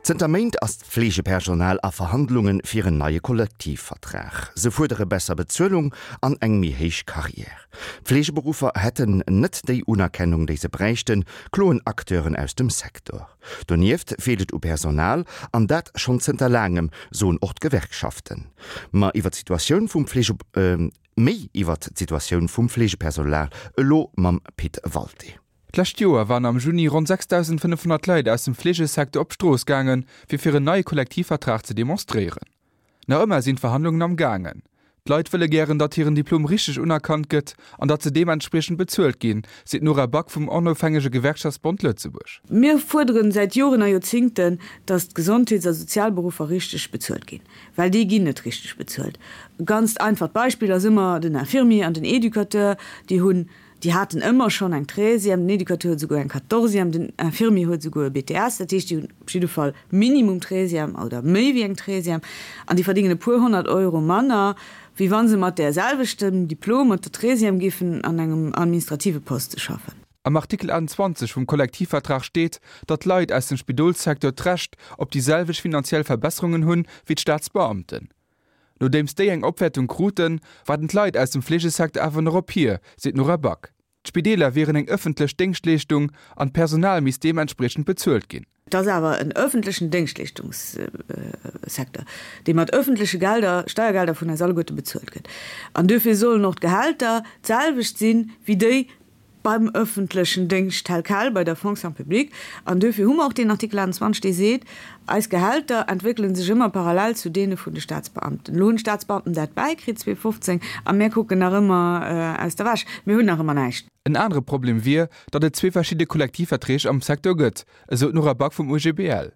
Zënter Méint ass d'Fleegepersonal a Verhandlunge fir en neie Kollektivvertrag. Se fuerdere besser Bezuelung an eng méi héich Carrière. D'Fleegeberuffer hätten net déi Unerkennung, déi se bräichten, kloen Acteuren aus dem Secteur. Donieft feelt et u Personal, an dat schonn zënter laangem, soen och d'Gewerkschaften. Ma iwwer d'Situatioun vum Fleege. Méi iwwert d'Situatioun vum Fleegepersonal elo mam Pit Walté. D'lescht Joer waren am Juni ronn 6.500 Leit aus dem Fleegesecteur op d'Strooss gaangen, fir fir en neie Kollektivvertrag ze demonstréieren. Nach ëmmer sinn d'Verhandlungen am gaangen. D'Leit wëlle gären, datt hiren Diplom richteg unerkannt gëtt an datt se deementspriechend bezuelt ginn, seet d'Nora Back vum onofhängege Gewerkschaftsbond Lëtzebuerg. Mir fuerderen säit Joren a Joerzingten, datt d'Gesondheets a Sozialberuffer richteg bezuelt ginn, well déi ginn net richteg bezuelt. E ganzt einfacht Beispill ass ëmmer den Infirmier an den Educateur, déi hunn Déi haten ëmmer schonn eng Treizième, den Educateur huet esouguer eng Quatorzième, den Infirmier huet esouguer e BTS. Dat heescht, déi hunn op jidde Fall minimum Treizième oder méi wéi eng Treizième an déi verdéngen e puer 100 Euro manner, wéi wa se mat där selwechtem Diplom, mat der Treizième géifen an engem administrative Poste schaffen. Am Artikel 28 vum Kollektivvertrag steet, datt d'Leit aus dem Spidolssecteur d'Recht op déi selwecht finanziell Verbesserungen hunn, wéi d'Staatsbeamten. Nodeems déi eng Opwäertung kruten, waarden d'Leit aus dem Fleegesecteur awer nach op hir, seet d'Nora Back. D'Spideeler wieren eng ëffentlech Déngschtleeschtung an d'Personal misst deementspriechend bezuelt ginn. Et ass awer en ëffentlechen Déngschtleeschtungssecteur, dee mat ëffentleche Gelder, Steiergelder vun eis alleguerte bezuelt gëtt. An duerfir sollen och d'Gehälter d'selwecht sinn, wéi déi beim öffentlechen Déngscht tel quel, bei der Fonction publique. An duerfir hu mer och deen Artikel 28, dee seet, Eis Gehälter entwéckele sech ëmmer parallel zu deene vun de Staatsbeamten. Elo hunn d'Staatsbeamten dat bäikritt 2015 a mär kucken nach ëmmer aus der Wäsch. Mir hunn nach ëmmer näischt. En anere Problem wier, datt et zwee verschidde Kollektivverträg am Secteur gëtt, esou d'Nora Back vum OGBL.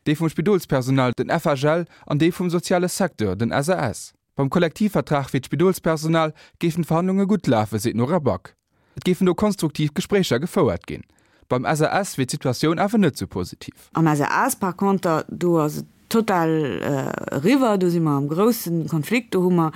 Dee vum Spidolspersonal, den FHL, an dee vum soziale Secteur, den SAS. Beim Kollektivvertrag fir d'Spidolspersonal géifen d'Verhandlunge gutt lafen, seet d'Nora Back. Et géifen do konstruktiv Gespréicher gefouert ginn. Beim SAS wier d'Situatioun awer net sou positiv. Am SAS par conter, do ass et total eriwwer, do si mer am grousse Konflikt. Do hu mer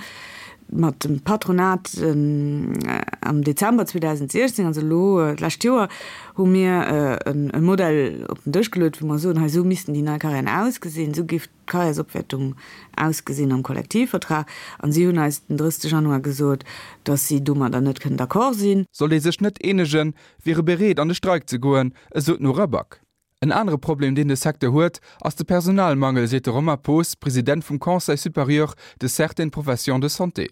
mat dem Patronat am Dezember 2016, also elo d'lescht Joer, hu mir e Modell op den Dësch geluet, wou mer soen, hei esou missten déi nei Carrièren ausgesinn, esou géif d'Carrièresopwäertung ausgesinn am Kollektivvertrag an si hunn eis den 30 Januar gesot, datt si domadder net kënnen d'accord sinn. Sollt ee sech net eenegen, wier e bereet an de Streik ze goen, esou d'Nora Back. En anere Problem, deen de Secteur huet, ass de Personalmangel, seet de Romain Poos, President vum Conseil supérieur de certaines professions de santé.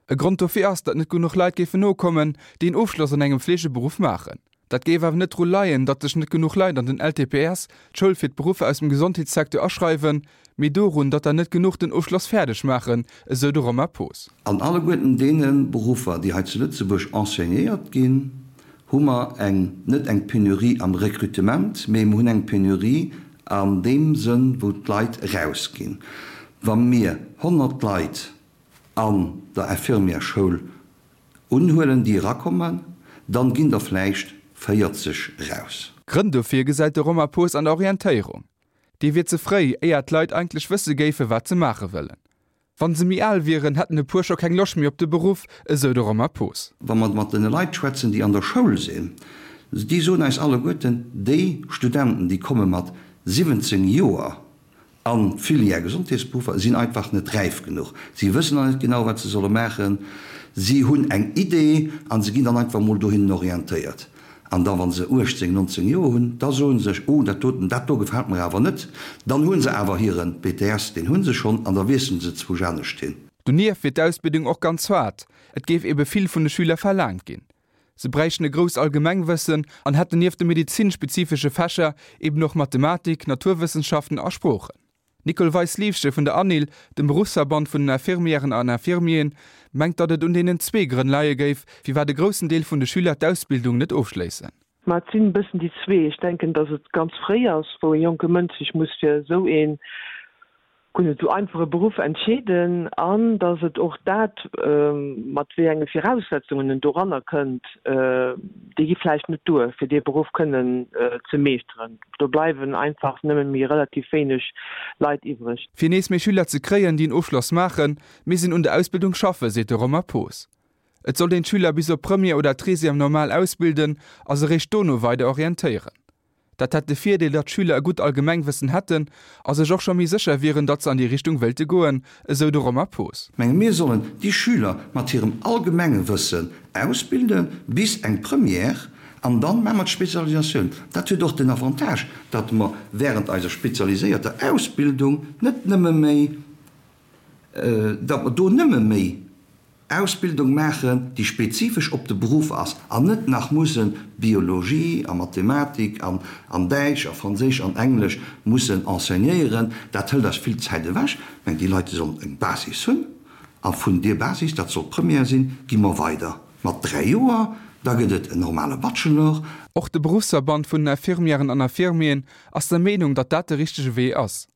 E Grond dofir ass, datt net genuch Leit géifen nokommen, déi en Ofschloss an engem Fleegeberuff maachen. Dat géif awer net dru leien, datt sech net genuch Leit an den LTPS, d'Schoul fir d'Beruffer aus dem Gesondheetssecteur, aschreiwen, mee dorun, datt der net genuch den Ofschloss fäerdeg maachen, esou de Romain Poos. An alleguerten deene Beruffer, déi hei zu Lëtzebuerg enseignéiert ginn, hu mer eng, net eng Penurie am Recrutement, mee mer hunn eng Penurie an deem Sënn, wou d'Leit erausginn. Wa mir 100 Leit an der Infirmièreschoul unhuelen, déi erakommen, dann ginn der vläicht 40 eraus. Grënn dofir gesäit de Romain Poos an der Orientéierung. Déi wier ze fréi, éier d'Leit eigentlech wësse géifen, wat se maache wëllen. Wann se méi al wieren, hätten e puer scho keng Loscht méi op de Beruff, esou de Romain Poos. Wa mer mat den Leit schwätzen, déi an der Schoul sinn, déi soen eis alleguerten, déi Studenten, déi komme mat 17 Joer An d'Filière Gesondheetsberuffer sinn einfach net räif genuch. Si wëssen nach net genau, wat se solle maachen. Si hunn eng Idee a se ginn dann einfach emol dohinnen orientéiert. An da wa se 18, 19 Joer hunn, da soe se sech, Oh, dat doten, dat do gefält mer awer net. Dann hu se awer hire BTS, deen hu se schonn, an da wiessele se zwousch anescht hin. Donieft wier d'Ausbildung och ganz haart. Et géif ebe vill vun de Schüler verlaangt ginn. Se bräichten e grousst Allgemengwëssen an hätten nieft de medezinspezifesche Fächer eben och Mathematik, Naturwëssenschaften a Sproochen. D'Nicole Weis-Liefsche vun der ANIL, dem Beruffsverband vun den Infirmièren an Infirmieren, mengt, datt et un deenen zwee Grënn leie géif, firwat e groussen Deel vun de Schüler d'Ausbildung net ofschléissen. Ma et sinn e bëssen déi zwee. Ech denken, datt et ganz fréi ass, wou e jonke Mënsch sech muss fir esou ee guer net esou einfache Beruff entscheeden an datt et och dat, mat wéi enge Viraussetzungen en doranner kënnt, déi gi vläicht net duer, fir dee Beruff kënnen ze meeschteren. Do bleiwen einfach nëmme méi relativ wéineg Leit iwwreg. Fir nees méi Schüler ze kréien, déi en Ofschloss maachen, misst een un der Ausbildung schaffen, seet de Romain Poos. Et sollt een d'Schüler bis op Première oder Treizième normal ausbilden a se réischt dono weider orientéieren. Dat hätt de Virdeel, datt d'Schüler e gutt Allgemengwëssen hätten a sech och scho méi sécher wieren, datt se an déi Richtung wéilte goen, esou de Romain Poos. Menge mir sollen déi Schüler mat hirem allgemenge Wëssen ausbilde bis eng Première an dann maache mer d'Spezialisatioun. Dat huet och den Avantage, datt mer während eiser spezialiséierter Ausbildung net nëmme méi, datt mer do nëmme méi Ausbildung maachen, déi spezifesch op de Beruff ass an net nach mussen Biologie a Mathematik an an Däitsch a Franséisch an Englesch mussen enseignéieren. Dat hëlt eis vill Zäit ewech. Mä déi Leit, déi sollen eng Basis hunn a vun deer Basis, dat soll d'Première sinn, gi mer weider mat 3 Joer, da gëtt et en normale Bachelor. Och de Beruffsverband vun den Infirmièren an Infirmieren ass der Meenung, datt dat de richtege Wee ass.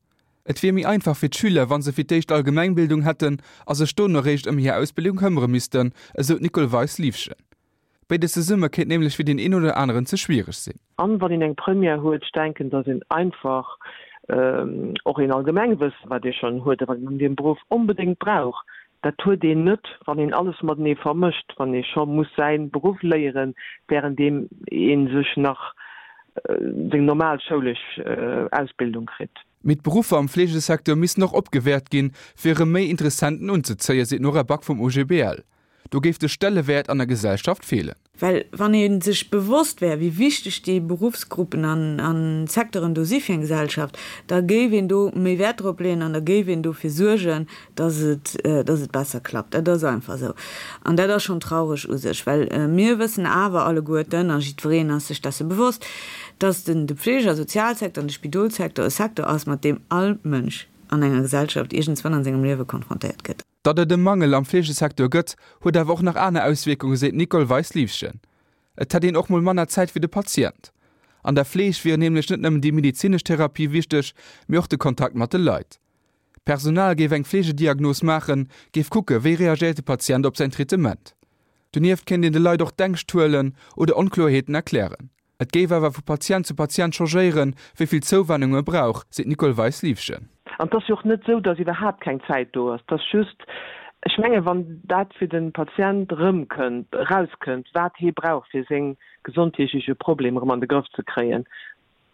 Et wier méi einfach fir d'Schüler, wa se fir d'éischt Allgemengbildung hätten a sech dono eréischt ëm hir Ausbildung këmmere missten, esou d'Nicole Weis-Liefgen. Béides zesumme kéint nämlech fir deen een oder aneren ze schwiereg sinn. An wann een eng Première huet, ech denken, dass een einfach och een Allgemengwëssen, wat ee schonn huet a wat een an deem Beruff onbedéngt brauch, dat huet een net, wann een alles matenee vermëscht, wann ee scho muss säi Beruff léieren, wärenddeem ee sech nach seng normal schoulesch Ausbildung kritt. Mee d'Beruffer am Fleegesecteur missten och opgewäert ginn, fir erëm méi Interessenten unzezéien, seet d'Nora Back vum OGBL. Do géif de Stellewäert an der Gesellschaft feelen. Well wann ee sech bewosst wär, wéi wichteg déi Beruffsgruppen an Secteuren do si fir eng Gesellschaft, da géif een do méi Wäert drop leeën an da géif een dofir suergen, dass et, dass et besser klappt. Dat ass einfach esou. An dat ass schonn traureg u sech, well mir wëssen awer alleguerten, a jiddwereen ass sech desse bewosst, dass den, de Pflege a Sozialsecteur an de Spidolsecteur e Secteur ass, mat deem all Mënsch an enger Gesellschaft iergendswann an sengem Liewe konfrontéiert gëtt. Datt et e Mangel am Fleegesecteur gëtt, huet awer och nach aner Auswierkungen, seet d'Nicole Weis-Liefgen. Et hätt een och mol manner Zäit fir de Patient. An der Fleeg wier nämlech net nëmmen déi medezinesch Therapie wichteg, mee och de Kontakt mat de Leit. D'Personal géif eng Fleegediagnos maachen, géif kucke wéi reagéiert de Patient op säin Traitement. Donieft kéint een de Leit och d'Ängscht huelen oder Onkloerheeten erklären. Et géif awer vu Patient zu Patient changéieren, wéi vill Zouwennung e brauch, seet d'Nicole Weis-Liefgen. An et ass jo och net esou, datt iwwerhaapt keng Zäit do ass. Et ass just, ech mengen, wann dat fir de Patient erëmkënnt, erauskënnt, wat hee brauch, fir seng gesondheetlech Problemer erëm an de Grëff ze kréien,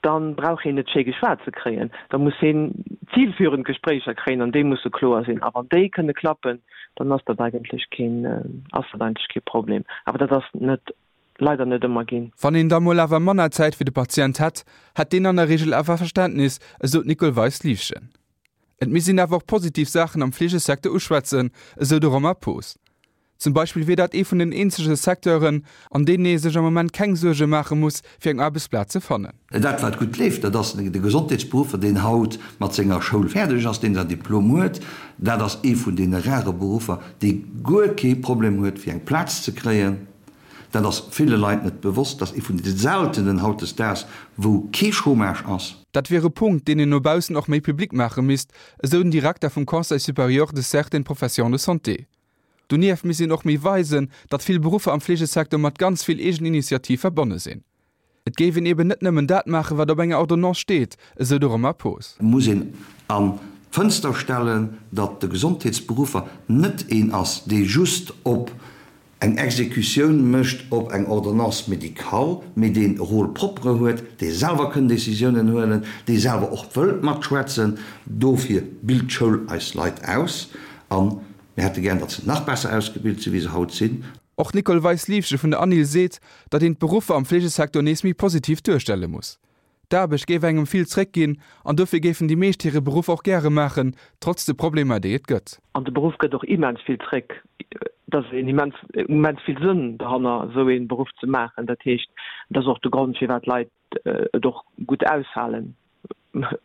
dann brauch heen net schéi geschwat ze kréien, da muss heen zielführend Gespréicher kréien an déi musse kloer sinn. A wann déi kënne klappen, dann ass dat eigentlech keen, ass dat eigentlech kee Problem. Awer dat ass net, leider net ëmmer ginn. Wann een da mol awer manner Zäit fir de Patient hätt, hätt deen an der Reegel awer Verständnis, esou d'Nicole Weis-Liefgen. Et misst een awer och positiv Saachen am Fleegesecteur uschwätzen, esou de Romain Poos. Zum Beispill wier dat ee vun den eenzege Secteuren, an deenen ee sech am Moment keng Suerge maache muss, fir eng Aarbechtsplaz ze fannen. Dat wat gutt leeft, dat ass de Gesondheetsberuffer, deen haut mat senger Schoul fäerdeg ass, deen säin Diplom huet. Dat ass ee vun deene rare Beruffer, dee guer kee Problem huet, fir eng Plaz ze kréien. Dat ass ville Leit net bewosst. Dat ass ee vun de seltenen hautdesdaags, wou kee Chômage ass. Dat wier e Punkt, deen een no baussen och méi public maache misst, esou den Direkter vum Conseil supérieur de certaines professions de santé. Donieft misst een och méi weisen, datt vill Beruffer am Fleegesecteur mat ganz vill Eegeninitiativ verbonne sinn. Et géif een eben net nëmmen dat maachen, wat op enger Ordonnance steet, esou de Romain Poos. Et muss een an d'Fënster stellen, datt de Gesondheetsberuffer net een ass, dee just op eng Exekutioun mécht op eng Ordonnance médicale, mee deen e Rôle propre huet, dee selwer kënn Décisiounen huelen, dee selwer och wëllt matschwätzen. Dofir bilt d'Schoul eis Leit aus. An Mir hätte gären, datt se nach besser ausgebilt sinn, wéi se haut sinn. Och d'Nicole Weis-Liefge vun der ANIL seet, datt een d'Beruffer am Fleegesecteur nees méi positiv duerstelle muss. D'Aarbecht géif engem vill zréckginn an dofir géifen déi meescht hire Beruff och gäre maachen, trotz de Problemer, déi et gëtt. An de Beruff gëtt och immens vill zréck. Et ass een immens, immens vill Sënn dohanner, esou ee Beruff ze maachen. Dat heescht, et ass och de Grond, firwat d'Leit et och gutt aushalen.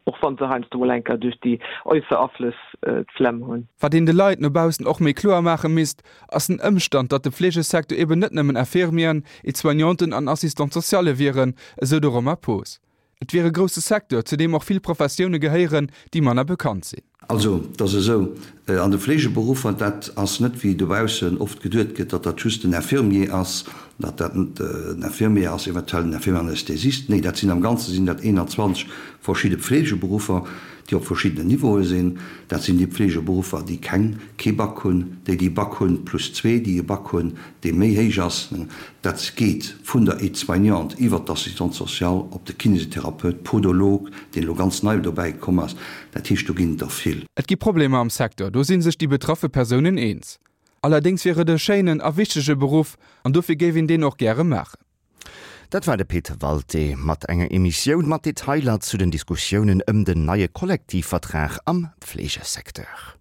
Och wann se heiansdo mol eng Kéier duerch déi äusser Aflëss d'Flemm hunn. Wat een de Leit no baussen och méi kloer maache misst, ass den Ëmstand, datt de Fleegesecteur eben net nëmmen Infirmieren, Aide-soignanten an Assistante socialle wieren, esou de Romain Poos. Et wier e grousse Secteur, zu deem och vill Professioune gehéieren, déi manner bekannt sinn. Also, et ass esou, an de Fleegeberuffer, dat ass net wéi dobaussen oft geduet gëtt, datt dat just den Infirmier ass, datt dat den Infirmier ass, eventuell den Infirmier Anästhesist. Nee, dat sinn am Ganze sinn dat 21 verschidde Pflegeberuffer, déi op verschiddenen Niveaue sinn. Dat sinn déi Pflegeberuffer, déi keng, kee Bac hunn, déi déi Bac hunn plus zwee, déi e Bac hunn, dee méi héich ass. Dat geet vun der Aide-soignante iwwert d'Assistante sociale op de Kinésithérapeut, Podolog, deen elo ganz nei dobäi komm ass. Dat heescht, do ginn et der vill. Et gi Problemer am Secteur, do si sech déi betraffe Persounen eens. Allerdéngs wier et e schéinen a wichtege Beruff an dofir géif een deen och gäre maachen. Dat war de Pit Walté mat enger Emissioun mat Detailer zu den Diskussiounen ëm den neie Kollektivvertrag am Pflegesecteur.